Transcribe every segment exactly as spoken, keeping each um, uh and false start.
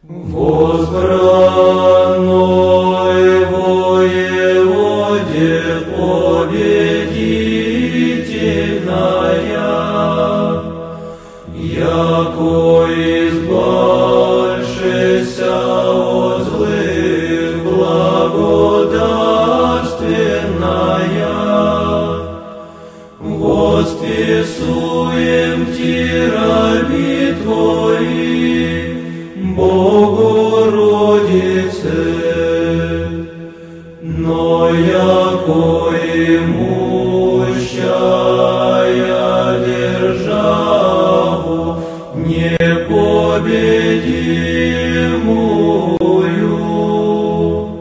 Возбранной воеводе победительная, яко избавшися от злых благодатственная, восписуем Ти раби Твои, Богородице, но яко имущая державу непобедимую,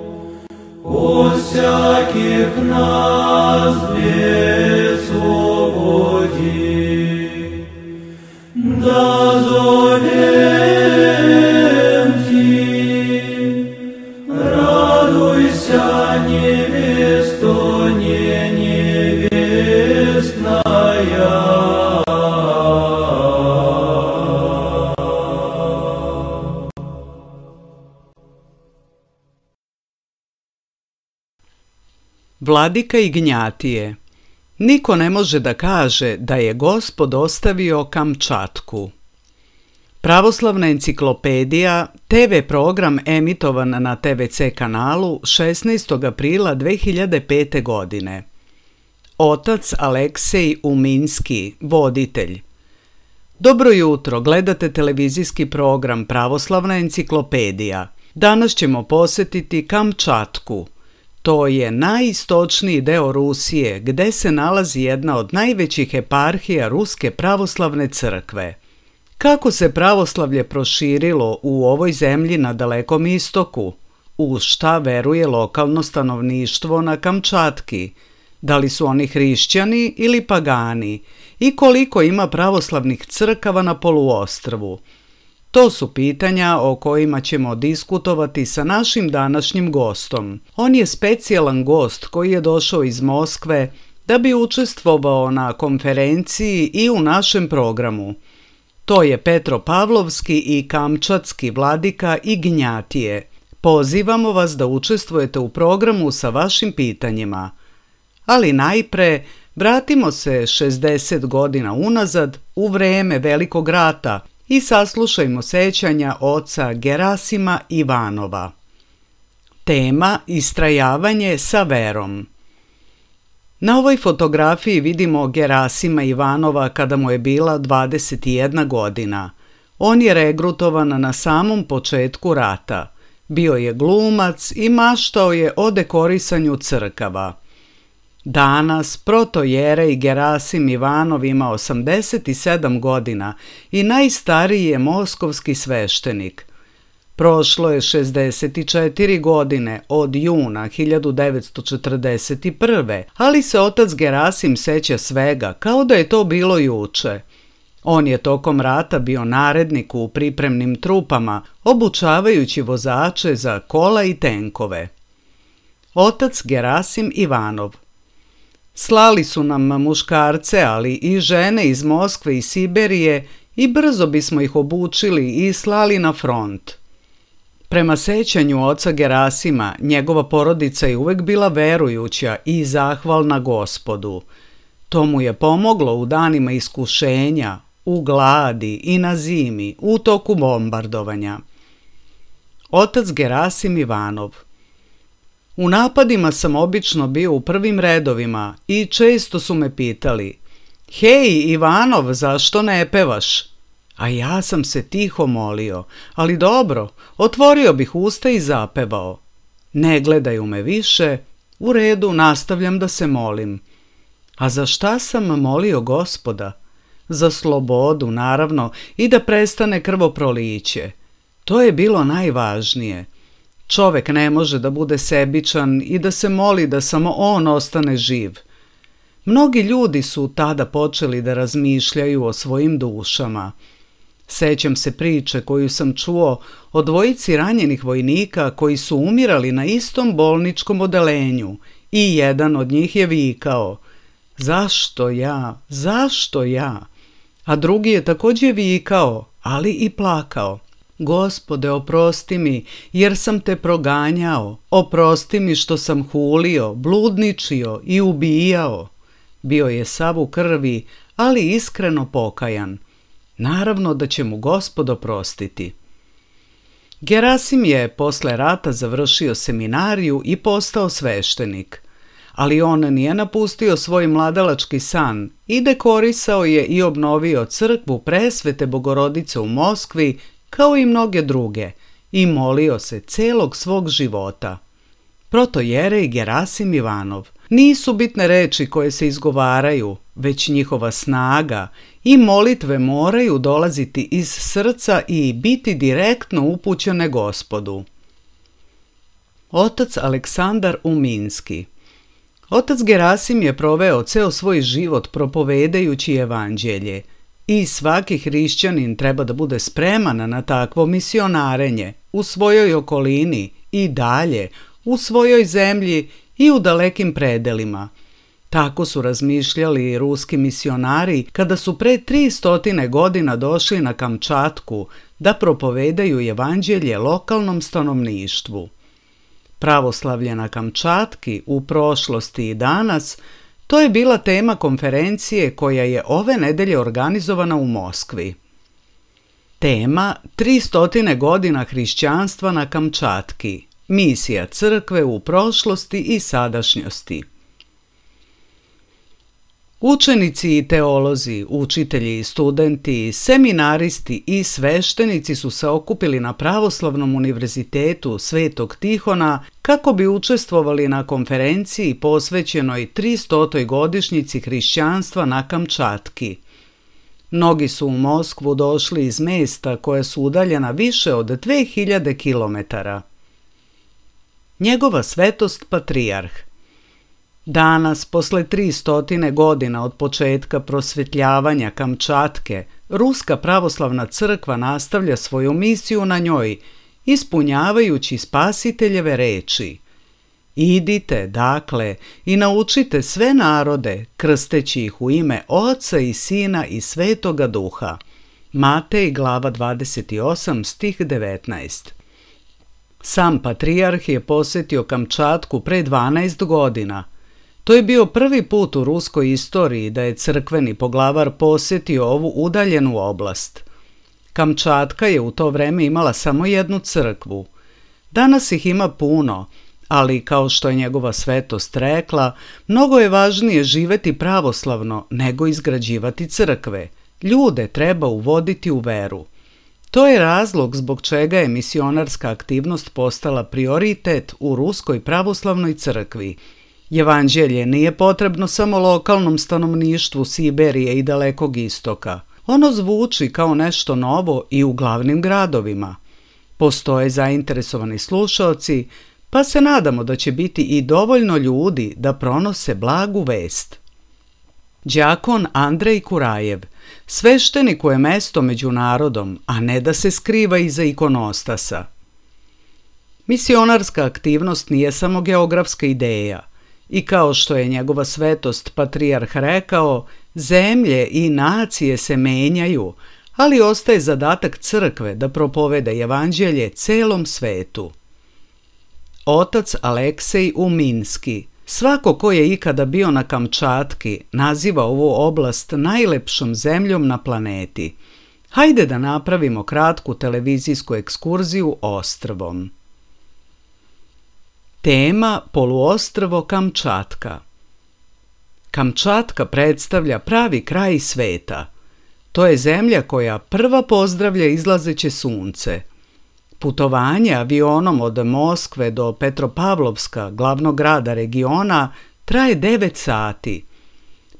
от всяких нас высвободи, да зовем Ти, радуйся, невесто не невестная. Vladika Ignjatije. Niko ne može da kaže da je Gospod ostavio Kamčatku. Pravoslavna enciklopedija, te ve program emitovan na te ve ce kanalu šesnaestog aprila dve hiljade pete. godine. Otac Aleksej Uminski, voditelj. Dobro jutro, gledate televizijski program Pravoslavna enciklopedija. Danas ćemo posjetiti Kamčatku. To je najistočniji deo Rusije, gde se nalazi jedna od najvećih eparhija Ruske pravoslavne crkve. Kako se pravoslavlje proširilo u ovoj zemlji na Dalekom istoku? U šta veruje lokalno stanovništvo na Kamčatki? Da li su oni hrišćani ili pagani? I koliko ima pravoslavnih crkava na poluostrvu? To su pitanja o kojima ćemo diskutovati sa našim današnjim gostom. On je specijalan gost koji je došao iz Moskve da bi učestvovao na konferenciji i u našem programu. To je Petropavlovski i Kamčatski vladika Ignjatije. Pozivamo vas da učestvujete u programu sa vašim pitanjima. Ali najpre vratimo se šezdeset godina unazad u vreme Velikog rata i saslušajmo sećanja oca Gerasima Ivanova. Tema: istrajavanje sa verom. Na ovoj fotografiji vidimo Gerasima Ivanova kada mu je bila dvadeset jedna godina. On je regrutovan na samom početku rata. Bio je glumac i maštao je o dekorisanju crkava. Danas protojerej Gerasim Ivanov ima osamdeset sedam godina i najstariji je moskovski sveštenik. Prošlo je šezdeset četiri godine od juna hiljadu devetsto četrdeset prve. ali se otac Gerasim seća svega kao da je to bilo juče. On je tokom rata bio narednik u pripremnim trupama, obučavajući vozače za kola i tenkove. Otac Gerasim Ivanov. Slali su nam muškarce, ali i žene iz Moskve i Siberije i brzo bismo ih obučili i slali na front. Prema sećanju oca Gerasima, njegova porodica je uvek bila verujuća i zahvalna Gospodu. To mu je pomoglo u danima iskušenja, u gladi i na zimi, u toku bombardovanja. Otac Gerasim Ivanov. U napadima sam obično bio u prvim redovima i često su me pitali: "Hej, Ivanov, zašto ne pevaš?" A ja sam se tiho molio: "Ali dobro, otvorio bih usta i zapevao." Ne gledaju me više, u redu, nastavljam da se molim. A za šta sam molio Gospoda? Za slobodu, naravno, i da prestane krvoproliće. To je bilo najvažnije. Čovek ne može da bude sebičan i da se moli da samo on ostane živ. Mnogi ljudi su tada počeli da razmišljaju o svojim dušama. Sećam se priče koju sam čuo o dvojici ranjenih vojnika koji su umirali na istom bolničkom odelenju i jedan od njih je vikao: "Zašto ja? Zašto ja?" A drugi je također vikao, ali i plakao. Gospode, oprosti mi, jer sam te proganjao, oprosti mi što sam hulio, bludničio i ubijao. Bio je sav u krvi, ali iskreno pokajan. Naravno da će mu Gospod oprostiti. Gerasim je posle rata završio seminariju i postao sveštenik, ali on nije napustio svoj mladalački san i dekorisao je i obnovio crkvu Presvete Bogorodice u Moskvi kao i mnoge druge i molio se celog svog života. Protojerej Gerasim Ivanov. Nisu bitne reči koje se izgovaraju, već njihova snaga i molitve moraju dolaziti iz srca i biti direktno upućene Gospodu. Otac Aleksandar Uminski. Otac Gerasim je proveo ceo svoj život propovedajući evanđelje i svaki hrišćanin treba da bude spreman na takvo misionarenje u svojoj okolini i dalje, u svojoj zemlji i u dalekim predelima. Tako su razmišljali i ruski misionari kada su pre tri stotine godina došli na Kamčatku da propovedaju evanđelje lokalnom stanovništvu. Pravoslavlje na Kamčatki u prošlosti i danas, to je bila tema konferencije koja je ove nedelje organizovana u Moskvi. Tema tri stotine godina hrišćanstva na Kamčatki, misija crkve u prošlosti i sadašnjosti. Učenici i teolozi, učitelji i studenti, seminaristi i sveštenici su se okupili na Pravoslavnom univerzitetu Svetog Tihona kako bi učestvovali na konferenciji posvećenoj tristotoj godišnjici hrišćanstva na Kamčatki. Mnogi su u Moskvu došli iz mesta koja su udaljena više od dve hiljade kilometara. Njegova svetost patrijarh. Danas, posle tri stotine godina od početka prosvetljavanja Kamčatke, Ruska pravoslavna crkva nastavlja svoju misiju na njoj, ispunjavajući Spasiteljeve reči. Idite, dakle, i naučite sve narode, krsteći ih u ime Oca i Sina i Svetoga Duha. Matej, glava dvadeset osam, stih devetnaest. Sam patrijarh je posetio Kamčatku pre dvanaest godina. To je bio prvi put u ruskoj istoriji da je crkveni poglavar posetio ovu udaljenu oblast. Kamčatka je u to vreme imala samo jednu crkvu. Danas ih ima puno, ali kao što je njegova svetost rekla, mnogo je važnije živeti pravoslavno nego izgrađivati crkve. Ljude treba uvoditi u veru. To je razlog zbog čega je misionarska aktivnost postala prioritet u Ruskoj pravoslavnoj crkvi. Evanđelje nije potrebno samo lokalnom stanovništvu Siberije i Dalekog istoka. Ono zvuči kao nešto novo i u glavnim gradovima. Postoje zainteresovani slušaoci, pa se nadamo da će biti i dovoljno ljudi da pronose blagu vest. Đakon Andrej Kurajev. Svešteniku je mesto među narodom, a ne da se skriva iza ikonostasa. Misionarska aktivnost nije samo geografska ideja. I kao što je njegova svetost patrijarh rekao, zemlje i nacije se menjaju, ali ostaje zadatak crkve da propoveda evanđelje celom svetu. Otac Aleksej Uminski. Svako ko je ikada bio na Kamčatki naziva ovu oblast najlepšom zemljom na planeti. Hajde da napravimo kratku televizijsku ekskurziju ostrvom. Tema poluostrvo Kamčatka. Kamčatka predstavlja pravi kraj sveta. To je zemlja koja prva pozdravlja izlazeće sunce. Putovanje avionom od Moskve do Petropavlovska, glavnog grada regiona, traje devet sati.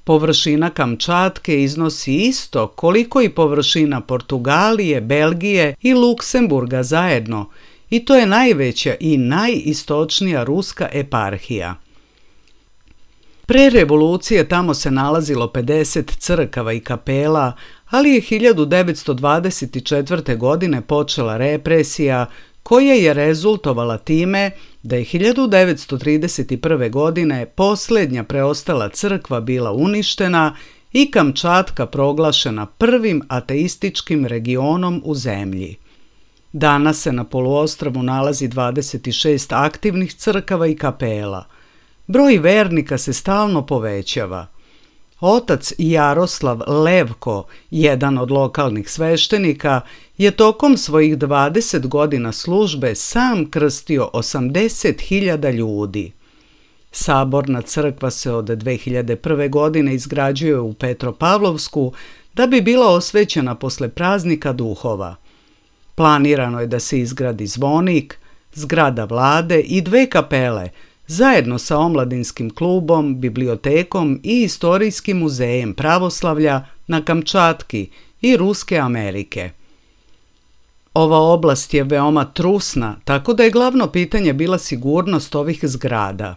Površina Kamčatke iznosi isto koliko i površina Portugalije, Belgije i Luksemburga zajedno, i to je najveća i najistočnija ruska eparhija. Pre revolucije tamo se nalazilo pedeset crkava i kapela, ali je hiljadu devetsto dvadeset četvrte. godine počela represija koja je rezultovala time da je hiljadu devetsto trideset prve. godine posljednja preostala crkva bila uništena i Kamčatka proglašena prvim ateističkim regionom u zemlji. Danas se na poluostrvu nalazi dvadeset šest aktivnih crkava i kapela. Broj vernika se stalno povećava. Otac Jaroslav Levko, jedan od lokalnih sveštenika, je tokom svojih dvadeset godina službe sam krstio osamdeset hiljada ljudi. Saborna crkva se od dve hiljade prve. godine izgrađuje u Petropavlovsku da bi bila osvećena posle praznika duhova. Planirano je da se izgradi zvonik, zgrada vlade i dve kapele, zajedno sa omladinskim klubom, bibliotekom i istorijskim muzejem pravoslavlja na Kamčatki i Ruske Amerike. Ova oblast je veoma trusna, tako da je glavno pitanje bila sigurnost ovih zgrada.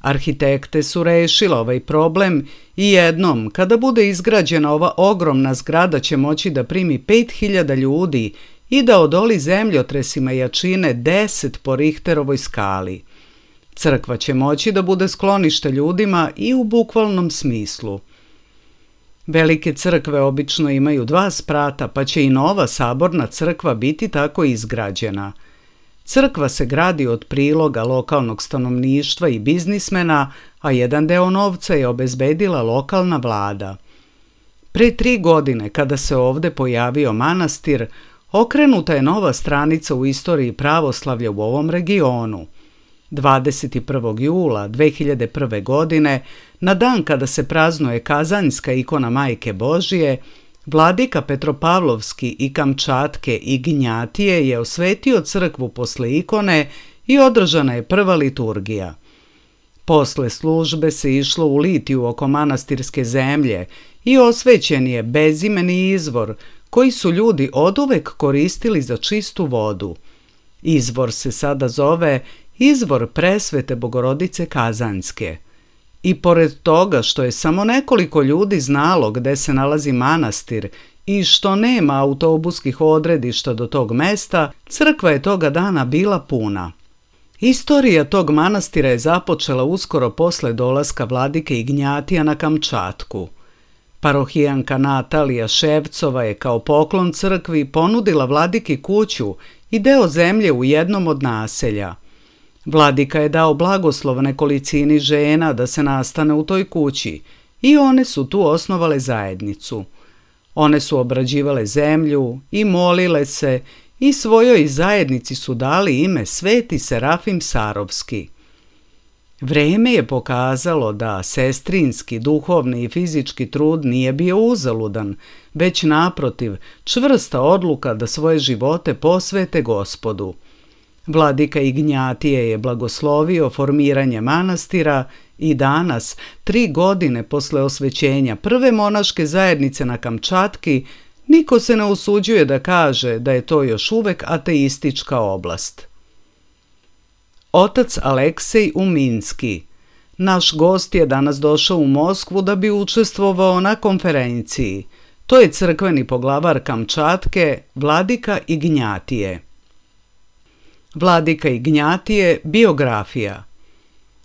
Arhitekte su rešile ovaj problem i jednom, kada bude izgrađena ova ogromna zgrada, će moći da primi pet hiljada ljudi i da odoli zemljotresima jačine deset po Richterovoj skali. Crkva će moći da bude sklonište ljudima i u bukvalnom smislu. Velike crkve obično imaju dva sprata, pa će i nova saborna crkva biti tako izgrađena. Crkva se gradi od priloga lokalnog stanovništva i biznismena, a jedan deo novca je obezbedila lokalna vlada. Pre tri godine, kada se ovde pojavio manastir, okrenuta je nova stranica u istoriji pravoslavlja u ovom regionu. dvadeset prvog jula dve hiljade prve. godine, na dan kada se praznuje Kazanjska ikona Majke Božije, vladika Petropavlovski i Kamčatke i Gnjatije je osvetio crkvu posle ikone i održana je prva liturgija. Posle službe se išlo u litiju oko manastirske zemlje i osvećen je bezimeni izvor koji su ljudi oduvek koristili za čistu vodu. Izvor se sada zove Izvor Presvete Bogorodice Kazanjske. I pored toga što je samo nekoliko ljudi znalo gde se nalazi manastir i što nema autobuskih odredišta do tog mesta, crkva je toga dana bila puna. Istorija tog manastira je započela uskoro posle dolaska vladike Ignjatija na Kamčatku. Parohijanka Natalija Ševcova je kao poklon crkvi ponudila vladiki kuću i deo zemlje u jednom od naselja. Vladika je dao blagoslov nekolicini žena da se nastane u toj kući i one su tu osnovale zajednicu. One su obrađivale zemlju i molile se i svojoj zajednici su dali ime Sveti Serafim Sarovski. Vreme je pokazalo da sestrinski, duhovni i fizički trud nije bio uzaludan, već naprotiv, čvrsta odluka da svoje živote posvete Gospodu. Vladika Ignjatije je blagoslovio formiranje manastira i danas, tri godine posle osvećenja prve monaške zajednice na Kamčatki, niko se ne usuđuje da kaže da je to još uvek ateistička oblast. Otac Aleksej Uminski. Naš gost je danas došao u Moskvu da bi učestvovao na konferenciji. To je crkveni poglavar Kamčatke, vladika Ignjatije. Vladika Ignjatije, biografija.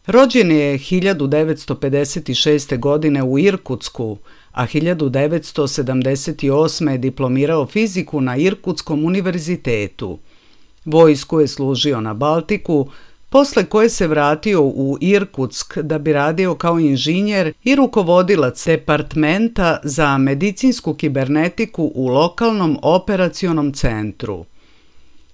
Rođen je hiljadu devetsto pedeset šeste. godine u Irkutsku, a hiljadu devetsto sedamdeset osme. je diplomirao fiziku na Irkutskom univerzitetu. Vojsku je služio na Baltiku, posle koje se vratio u Irkutsk da bi radio kao inženjer i rukovodilac departmenta za medicinsku kibernetiku u lokalnom operacionom centru.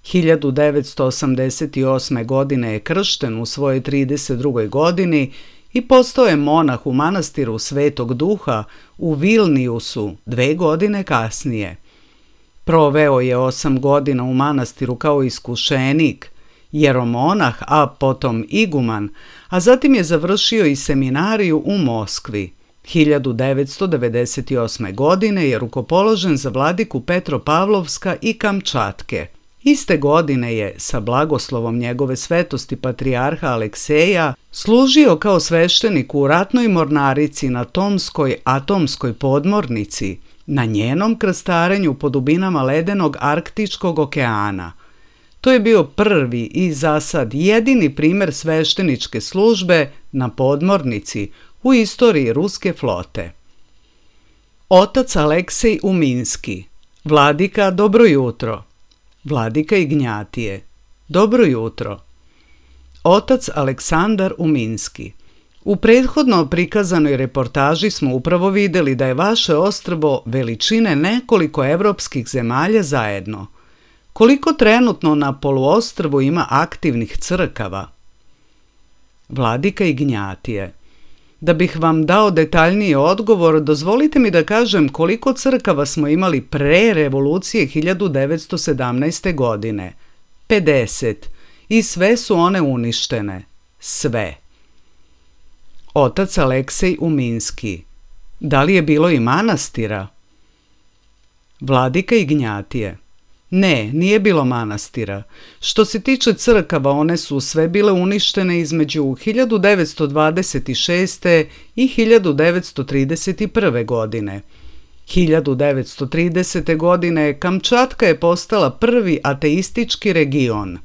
hiljadu devetsto osamdeset osme. godine je kršten u svojoj trideset drugoj. godini i postao je monah u manastiru Svetog Duha u Vilniusu dve godine kasnije. Proveo je osam godina u manastiru kao iskušenik, jeromonah, a potom iguman, a zatim je završio i seminariju u Moskvi. hiljadu devetsto devedeset osme. godine je rukopoložen za vladiku Petropavlovska i Kamčatke. Iste godine je, sa blagoslovom njegove svetosti patrijarha Alekseja, služio kao sveštenik u ratnoj mornarici na Tomskoj atomskoj podmornici, na njenom krstarenju po dubinama ledenog Arktičkog okeana. To je bio prvi i za sad jedini primer svešteničke službe na podmornici u istoriji ruske flote. Otac Aleksej Uminski. Vladika, dobro jutro. Vladika Ignjatije. Dobro jutro. Otac Aleksandar Uminski. U prethodno prikazanoj reportaži smo upravo vidjeli da je vaše ostrvo veličine nekoliko evropskih zemalja zajedno. Koliko trenutno na poluostrvu ima aktivnih crkava? Vladika Ignjatije. Da bih vam dao detaljniji odgovor, dozvolite mi da kažem koliko crkava smo imali pre revolucije hiljadu devetsto sedamnaeste. godine. pedeset. I sve su one uništene. Sve. Otac Aleksej Uminski. Da li je bilo i manastira? Vladika Ignjatije. Ne, nije bilo manastira. Što se tiče crkava, one su sve bile uništene između hiljadu devetsto dvadeset šeste. i hiljadu devetsto trideset prve. godine. hiljadu devetsto tridesete. godine Kamčatka je postala prvi ateistički region.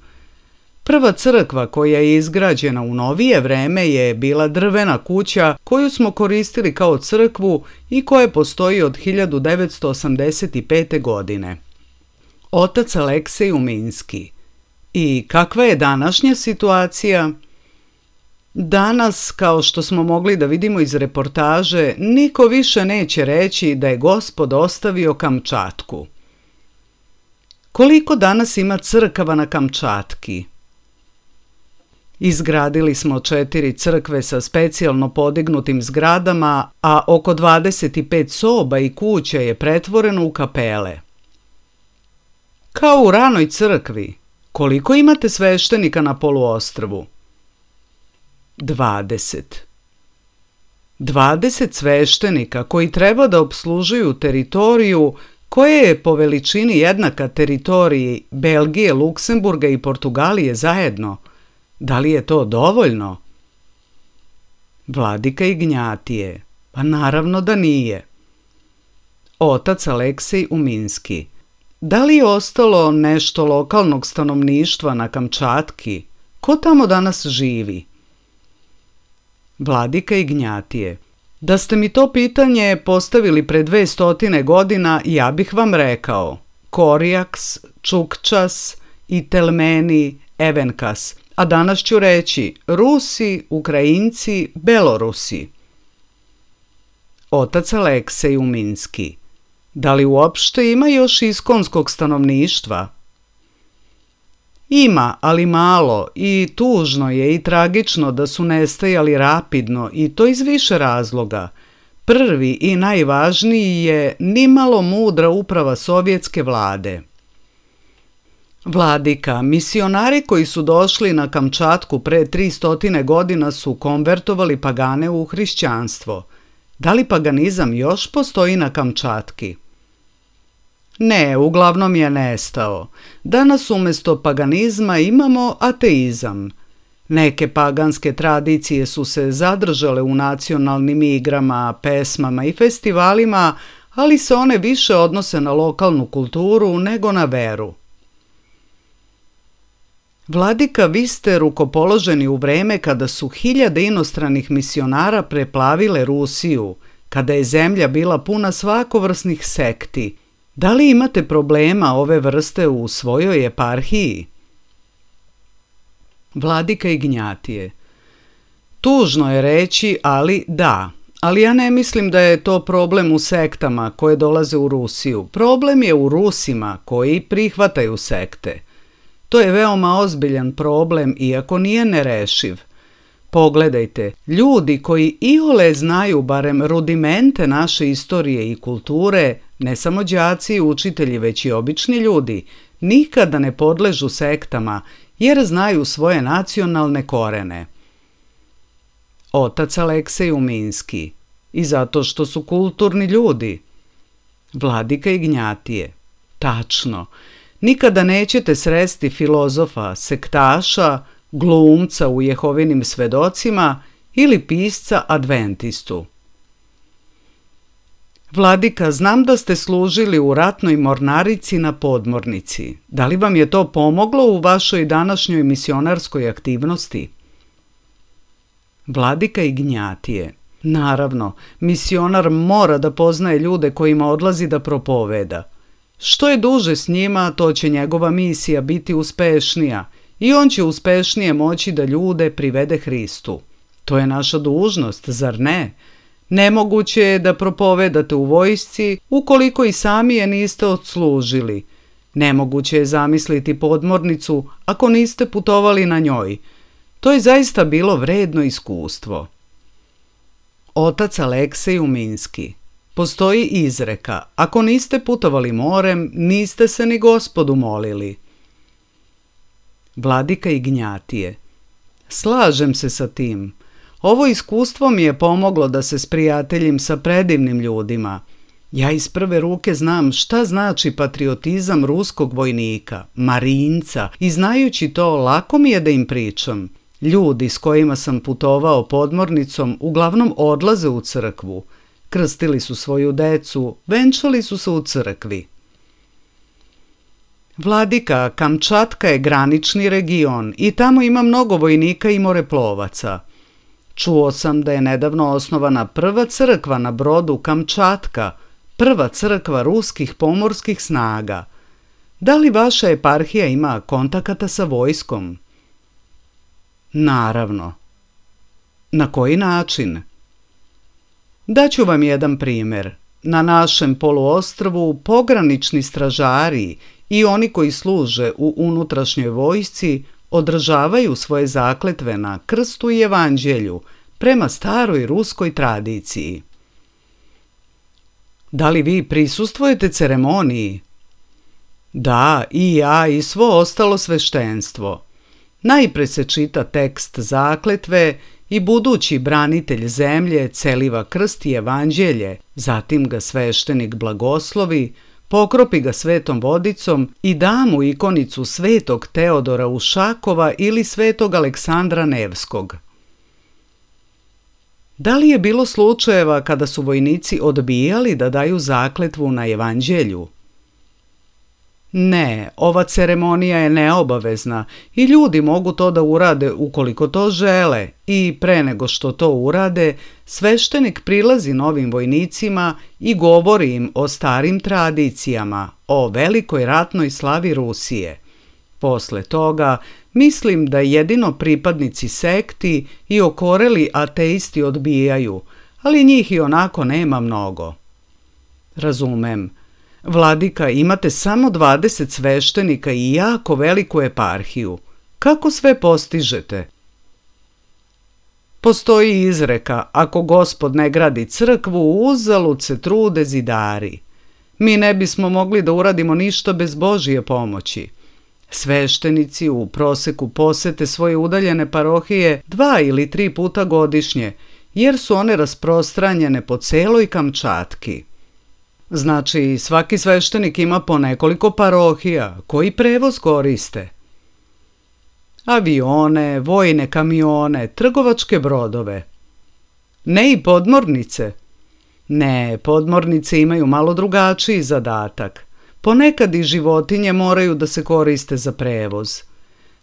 Prva crkva koja je izgrađena u novije vreme je bila drvena kuća koju smo koristili kao crkvu i koja postoji od hiljadu devetsto osamdeset pete. godine. Otac Aleksej Uminski. I kakva je današnja situacija? Danas, kao što smo mogli da vidimo iz reportaže, niko više neće reći da je Gospod ostavio Kamčatku. Koliko danas ima crkava na Kamčatki? Izgradili smo četiri crkve sa specijalno podignutim zgradama, a oko dvadeset pet soba i kuća je pretvoreno u kapele. Kao u ranoj crkvi, koliko imate sveštenika na poluostrvu? dvadeset. dvadeset sveštenika koji treba da opslužuju teritoriju koja je po veličini jednaka teritoriji Belgije, Luksemburga i Portugalije zajedno. Da li je to dovoljno? Vladika Ignjatije. Pa naravno da nije. Otac Aleksej Uminski. Da li je ostalo nešto lokalnog stanovništva na Kamčatki? Ko tamo danas živi? Vladika Ignjatije. Da ste mi to pitanje postavili pre dve stotine godina, ja bih vam rekao Korjaks, Čukčas, Itelmeni, Evenkas, a danas ću reći Rusi, Ukrajinci, Belorusi. Otac Aleksej Uminski. Da li uopšte ima još iskonskog stanovništva? Ima, ali malo, i tužno je i tragično da su nestajali rapidno, i to iz više razloga. Prvi i najvažniji je nimalo mudra uprava sovjetske vlade. Vladika, misionari koji su došli na Kamčatku pre tristo godina su konvertovali pagane u hrišćanstvo. Da li paganizam još postoji na Kamčatki? Ne, uglavnom je nestao. Danas umjesto paganizma imamo ateizam. Neke paganske tradicije su se zadržale u nacionalnim igrama, pesmama i festivalima, ali se one više odnose na lokalnu kulturu nego na veru. Vladika, vi ste rukopoloženi u vreme kada su hiljade inostranih misionara preplavile Rusiju, kada je zemlja bila puna svakovrsnih sekti. Da li imate problema ove vrste u svojoj eparhiji? Vladika Ignjatije. Tužno je reći, ali da. Ali ja ne mislim da je to problem u sektama koje dolaze u Rusiju. Problem je u Rusima koji prihvataju sekte. To je veoma ozbiljan problem, iako nije nerešiv. Pogledajte, ljudi koji iole znaju barem rudimente naše istorije i kulture, ne samo đaci i učitelji, već i obični ljudi, nikada ne podležu sektama jer znaju svoje nacionalne korene. Otac Aleksej Uminski. I zato što su kulturni ljudi. Vladika Ignjatije. Tačno. Nikada nećete sresti filozofa, sektaša, glumca u Jehovinim svedocima ili pisca adventistu. Vladika, znam da ste služili u ratnoj mornarici na podmornici. Da li vam je to pomoglo u vašoj današnjoj misionarskoj aktivnosti? Vladika Ignjatije. Naravno, misionar mora da poznaje ljude kojima odlazi da propoveda. Što je duže s njima, to će njegova misija biti uspešnija i on će uspešnije moći da ljude privede Hristu. To je naša dužnost, zar ne? Nemoguće je da propovedate u vojsci ukoliko i sami je niste odslužili. Nemoguće je zamisliti podmornicu ako niste putovali na njoj. To je zaista bilo vredno iskustvo. Otac Aleksej Uminski. Postoji izreka, ako niste putovali morem, niste se ni Gospodu molili. Vladika Ignjatije. Slažem se sa tim. Ovo iskustvo mi je pomoglo da se sprijateljim sa predivnim ljudima. Ja iz prve ruke znam šta znači patriotizam ruskog vojnika, marinca, i znajući to lako mi je da im pričam. Ljudi s kojima sam putovao podmornicom uglavnom odlaze u crkvu. Krstili su svoju decu, venčali su se u crkvi. Vladika, Kamčatka je granični region i tamo ima mnogo vojnika i moreplovaca. Čuo sam da je nedavno osnovana prva crkva na brodu Kamčatka, prva crkva ruskih pomorskih snaga. Da li vaša eparhija ima kontakata sa vojskom? Naravno. Na koji način? Daću vam jedan primjer. Na našem poluostrvu pogranični stražari i oni koji služe u unutrašnjoj vojsci održavaju svoje zakletve na krstu i evanđelju prema staroj ruskoj tradiciji. Da li vi prisustvujete ceremoniji? Da, i ja i svo ostalo sveštenstvo. Najpre se čita tekst zakletve i budući branitelj zemlje celiva krst i evanđelje, zatim ga sveštenik blagoslovi, pokropi ga svetom vodicom i da mu ikonicu svetog Teodora Ušakova ili svetog Aleksandra Nevskog. Da li je bilo slučajeva kada su vojnici odbijali da daju zakletvu na evanđelju? Ne, ova ceremonija je neobavezna i ljudi mogu to da urade ukoliko to žele i pre nego što to urade, sveštenik prilazi novim vojnicima i govori im o starim tradicijama, o velikoj ratnoj slavi Rusije. Posle toga, mislim da jedino pripadnici sekti i okoreli ateisti odbijaju, ali njih i onako nema mnogo. Razumem. Vladika, imate samo dvadeset sveštenika i jako veliku eparhiju. Kako sve postižete? Postoji izreka, ako Gospod ne gradi crkvu, uzalud se trude zidari. Mi ne bismo mogli da uradimo ništa bez Božje pomoći. Sveštenici u proseku posete svoje udaljene parohije dva ili tri puta godišnje, jer su one rasprostranjene po celoj Kamčatki. Znači, svaki sveštenik ima po nekoliko parohija, koji prevoz koriste. Avione, vojne kamione, trgovačke brodove. Ne i podmornice. Ne, podmornice imaju malo drugačiji zadatak. Ponekad i životinje moraju da se koriste za prevoz.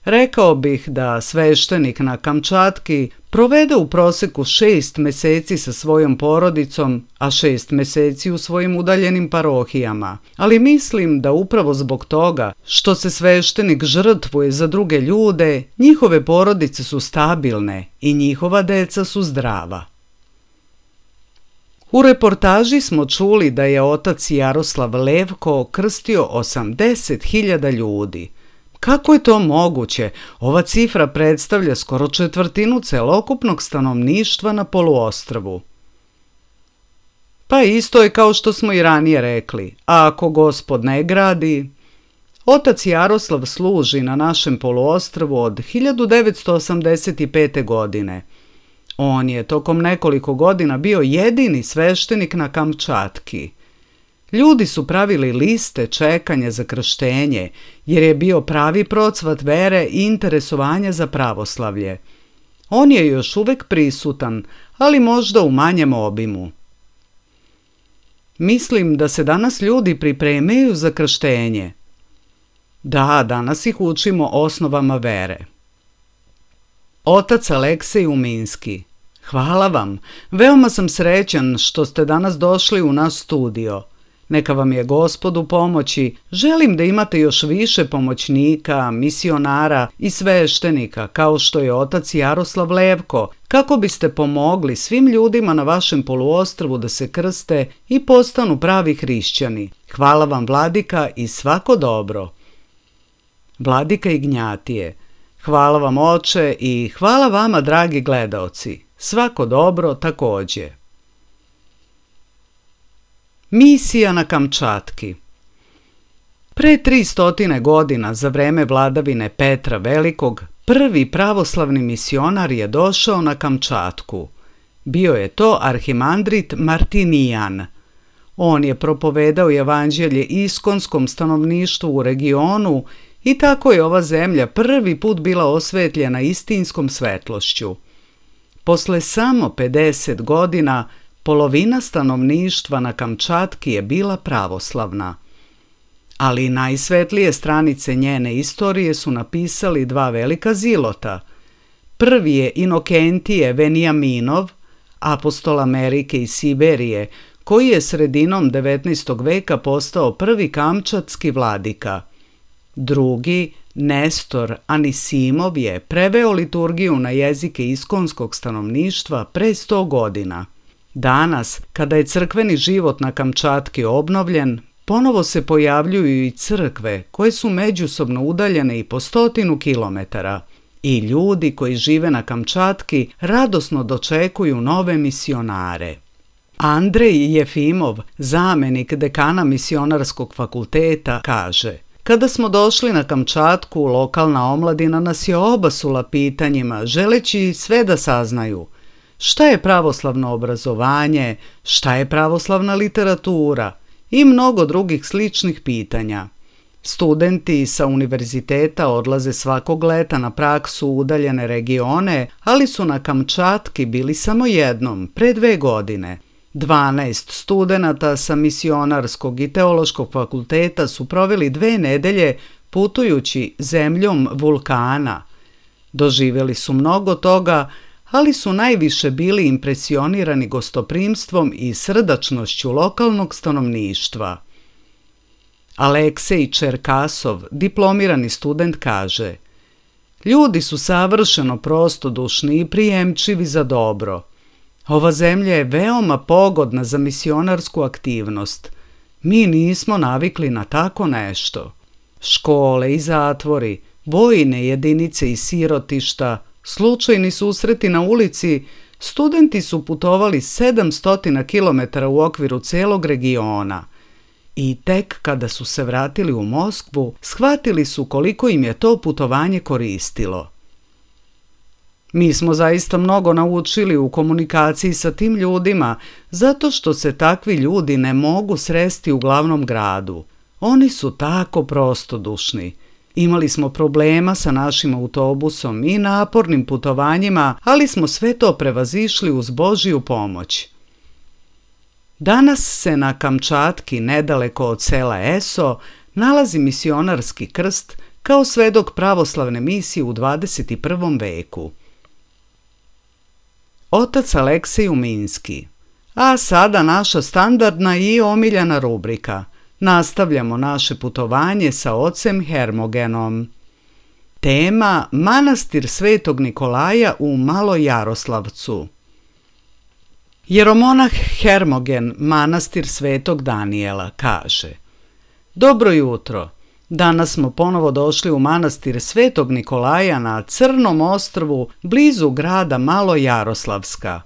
Rekao bih da sveštenik na Kamčatki provede u proseku šest meseci sa svojom porodicom, a šest meseci u svojim udaljenim parohijama. Ali mislim da upravo zbog toga što se sveštenik žrtvuje za druge ljude, njihove porodice su stabilne i njihova deca su zdrava. U reportaži smo čuli da je otac Jaroslav Levko krstio osamdeset hiljada ljudi. Kako je to moguće? Ova cifra predstavlja skoro četvrtinu celokupnog stanovništva na poluostrvu. Pa isto je kao što smo i ranije rekli, a ako Gospod ne gradi... Otac Jaroslav služi na našem poluostrvu od hiljadu devetsto osamdeset pete. godine. On je tokom nekoliko godina bio jedini sveštenik na Kamčatki. Ljudi su pravili liste čekanja za krštenje, jer je bio pravi procvat vere i interesovanja za pravoslavlje. On je još uvek prisutan, ali možda u manjem obimu. Mislim da se danas ljudi pripremaju za krštenje. Da, danas ih učimo osnovama vere. Otac Aleksej Uminski. Hvala vam. Veoma sam srećan što ste danas došli u naš studio. Neka vam je Gospod u pomoći. Želim da imate još više pomoćnika, misionara i sveštenika, kao što je otac Jaroslav Levko, kako biste pomogli svim ljudima na vašem poluostrvu da se krste i postanu pravi hrišćani. Hvala vam, Vladika, i svako dobro. Vladika Ignjatije: hvala vam, oče, i hvala vama, dragi gledaoci. Svako dobro također. Misija na Kamčatki. Pre tri stotine godina, za vreme vladavine Petra Velikog, prvi pravoslavni misionar je došao na Kamčatku. Bio je to arhimandrit Martinijan. On je propovedao evanđelje iskonskom stanovništvu u regionu i tako je ova zemlja prvi put bila osvetljena istinskom svetlošću. Posle samo pedeset godina, polovina stanovništva na Kamčatki je bila pravoslavna. Ali najsvetlije stranice njene istorije su napisali dva velika zilota. Prvi je Inokentije Venijaminov, apostol Amerike i Siberije, koji je sredinom devetnaestog veka postao prvi kamčatski vladika. Drugi, Nestor Anisimov, je preveo liturgiju na jezike iskonskog stanovništva pre sto godina. Danas, kada je crkveni život na Kamčatki obnovljen, ponovo se pojavljuju i crkve koje su međusobno udaljene i po stotinu kilometara. I ljudi koji žive na Kamčatki radosno dočekuju nove misionare. Andrej Jefimov, zamenik dekana misionarskog fakulteta, kaže: kada smo došli na Kamčatku, lokalna omladina nas je obasula pitanjima, želeći sve da saznaju. Šta je pravoslavno obrazovanje, šta je pravoslavna literatura i mnogo drugih sličnih pitanja. Studenti sa univerziteta odlaze svakog leta na praksu u udaljene regione, ali su na Kamčatki bili samo jednom, pre dve godine. Dvanaest studenata sa misionarskog i teološkog fakulteta su proveli dve nedelje putujući zemljom vulkana. Doživjeli su mnogo toga, ali su najviše bili impresionirani gostoprimstvom i srdačnošću lokalnog stanovništva. Aleksej Čerkasov, diplomirani student, kaže: ljudi su savršeno prostodušni i prijemčivi za dobro. Ova zemlja je veoma pogodna za misionarsku aktivnost. Mi nismo navikli na tako nešto. Škole i zatvori, vojne jedinice i sirotišta, slučajni susreti na ulici, studenti su putovali sedamsto kilometara u okviru celog regiona. I tek kada su se vratili u Moskvu, shvatili su koliko im je to putovanje koristilo. Mi smo zaista mnogo naučili u komunikaciji sa tim ljudima, zato što se takvi ljudi ne mogu sresti u glavnom gradu. Oni su tako prostodušni. Imali smo problema sa našim autobusom i napornim putovanjima, ali smo sve to prevazišli uz Božju pomoć. Danas se na Kamčatki, nedaleko od sela Eso, nalazi misionarski krst kao svedok pravoslavne misije u dvadeset prvom veku. Otac Aleksej Uminski. A sada naša standardna i omiljena rubrika. Nastavljamo naše putovanje sa ocem Hermogenom. Tema: manastir Svetog Nikolaja u Malojaroslavcu. Jeromonah Hermogen, manastir Svetog Danijela, kaže: dobro jutro. Danas smo ponovo došli u manastir Svetog Nikolaja na Crnom ostrvu blizu grada Malojaroslavska.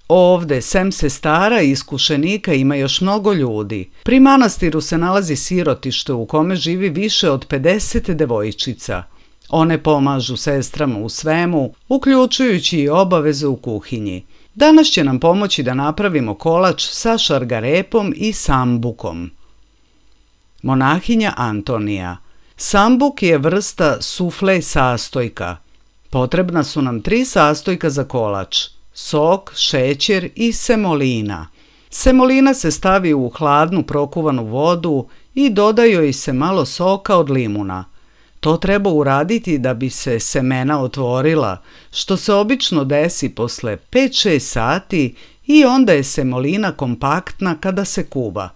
Ovde, sem sestara i iskušenika, ima još mnogo ljudi. Pri manastiru se nalazi sirotište u kome živi više od pedeset devojčica. One pomažu sestrama u svemu, uključujući i obaveze u kuhinji. Danas će nam pomoći da napravimo kolač sa šargarepom i sambukom. Monahinja Antonija. Sambuk je vrsta sufle sastojka. Potrebna su nam tri sastojka za kolač: sok, šećer i semolina. Semolina se stavi u hladnu prokuvanu vodu i doda joj se malo soka od limuna. To treba uraditi da bi se semena otvorila, što se obično desi posle pet šest sati, i onda je semolina kompaktna kada se kuva.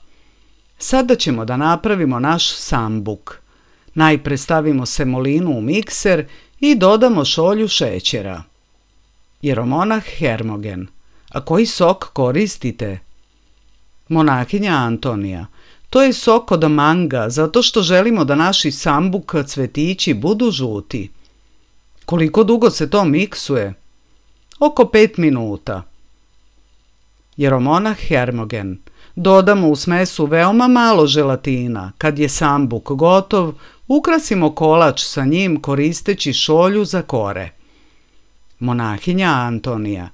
Sada ćemo da napravimo naš sambuk. Najpre stavimo semolinu u mikser i dodamo šolju šećera. Jeromonah Hermogen: a koji sok koristite? Monahinja Antonija: to je sok od manga, zato što želimo da naši sambuk cvetići budu žuti. Koliko dugo se to miksuje? Oko pet minuta. Jeromonah Hermogen: dodamo u smesu veoma malo želatina. Kad je sambuk gotov, ukrasimo kolač sa njim koristeći šolju za kore. Monahinja Antonija: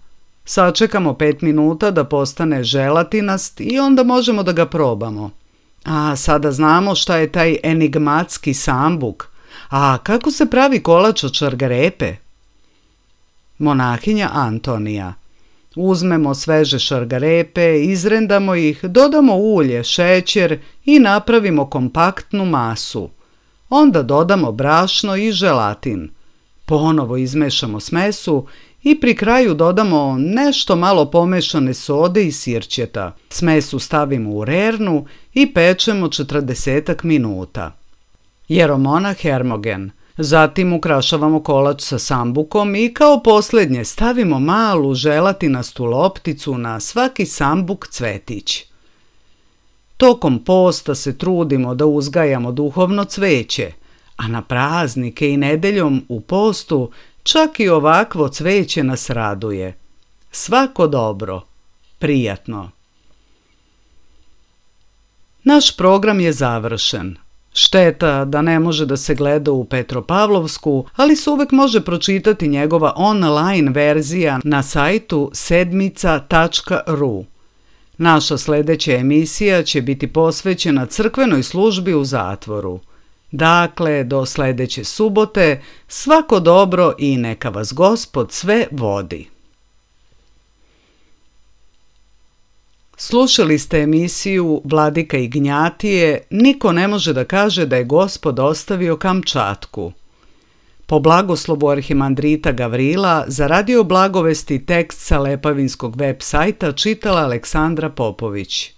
sačekamo pet minuta da postane želatinast i onda možemo da ga probamo. A sada znamo šta je taj enigmatski sambuk. A kako se pravi kolač od šargarepe? Monahinja Antonija: uzmemo sveže šargarepe, izrendamo ih, dodamo ulje, šećer i napravimo kompaktnu masu. Onda dodamo brašno i želatin. Ponovo izmešamo smesu i pri kraju dodamo nešto malo pomešane sode i sirćeta. Smesu stavimo u rernu i pečemo četrdeset minuta. Jeromonah Hermogen: zatim ukrašavamo kolač sa sambukom i kao posljednje stavimo malu želatinastu lopticu na svaki sambuk cvetić. Tokom posta se trudimo da uzgajamo duhovno cveće, a na praznike i nedeljom u postu čak i ovakvo cveće nas raduje. Svako dobro, prijatno. Naš program je završen. Šteta da ne može da se gleda u Petropavlovsku, ali se uvek može pročitati njegova online verzija na sajtu sedmica tačka ru. Naša sljedeća emisija će biti posvećena crkvenoj službi u zatvoru. Dakle, do sljedeće subote, svako dobro i neka vas Gospod sve vodi. Slušali ste emisiju Vladika Ignjatije Niko ne može da kaže da je Gospod ostavio Kamčatku. Po blagoslovu arhimandrita Gavrila za Radio Blagovesti tekst sa Lepavinskog web sajta čitala Aleksandra Popović.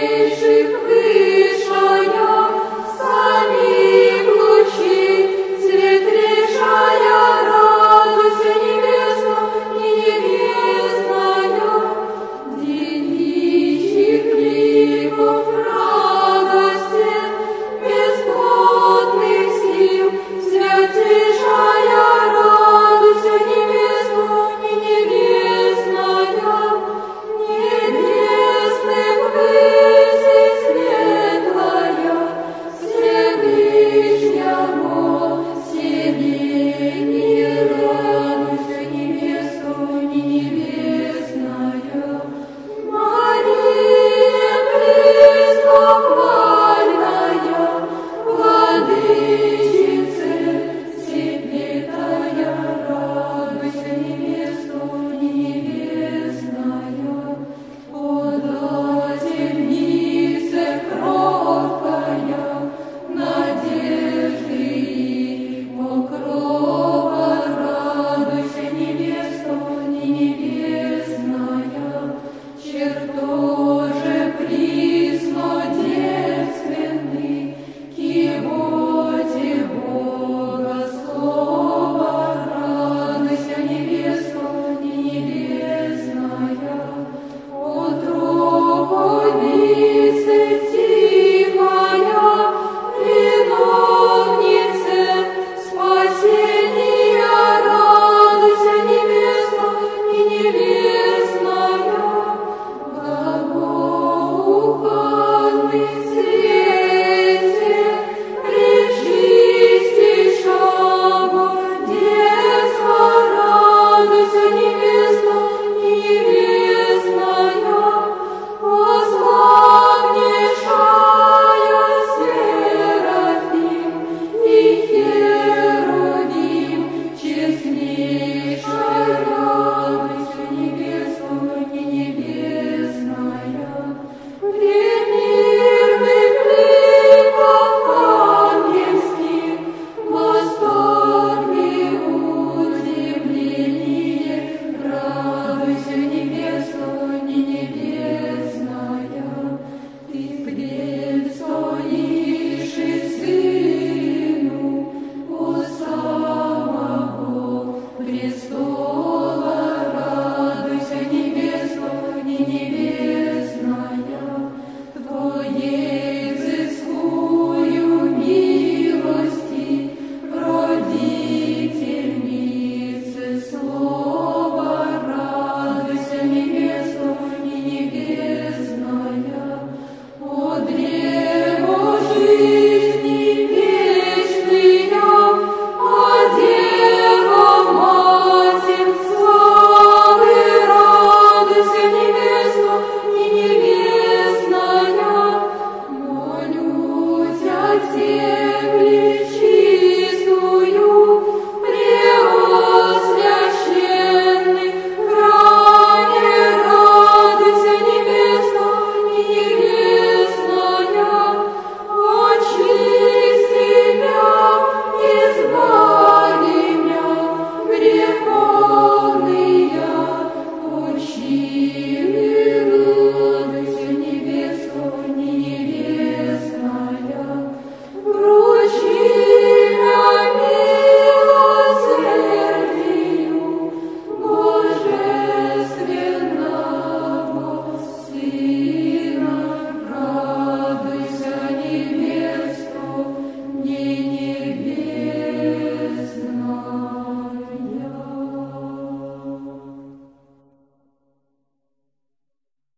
Небесный, земли